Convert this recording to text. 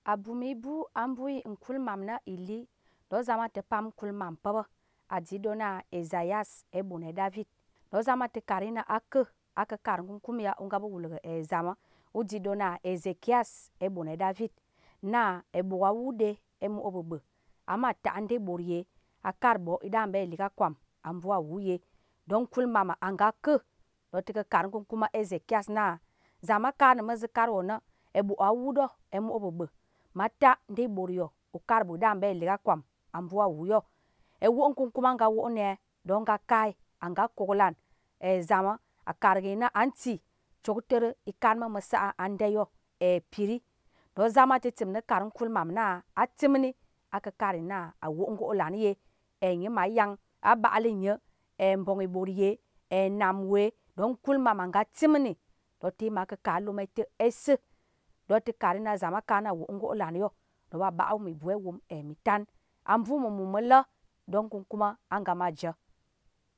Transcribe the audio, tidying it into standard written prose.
Abumi bu ambui nkulmam na ili do zama te pam kulmam pa̱ aji ɗon na Esaias ebon David do zama te kari na akə́ kar kumkum ya ugap wul ga̱ zam uji ɗon na Ezekias ebon David na eɓuk awuɗe emo bəbə̀ ama ta nde ɓot ye a kar ɓo iɗa ɓe lik akwam ambu awu ye don kulmam anga kə́ do ta̱ ga̱ kar kumkum a Ezekias na zam a kar na̱ ma̱zə kar wo na̱ eɓuk awuɗo emo bəbə̀ mata nde ɓot yo ukar ɓu iɗa ɓe lik akwam ambu awu yo ewo kumkum anga wo ne don ga kai anga koklan zam a kar ga̱ yi na anti cok ta̱re ikar ma̱ ma̱sa ande yo piri do zama te tim na̱ kar kulmam na atim ni aka̱ kar yi na awo ngolan ye nye ma yang a ɓal nye mbong iɓot ye nam wee don kulmam anga tim ni do ta̱ ma ka̱ ka lum ta̱ esa̱ do ta̱ kar yi na zam a kar na wo ngolan yo do ɓa ɓa mi bu wom mi tan ambu ma̱ mumula̱ don kumkum anga ma je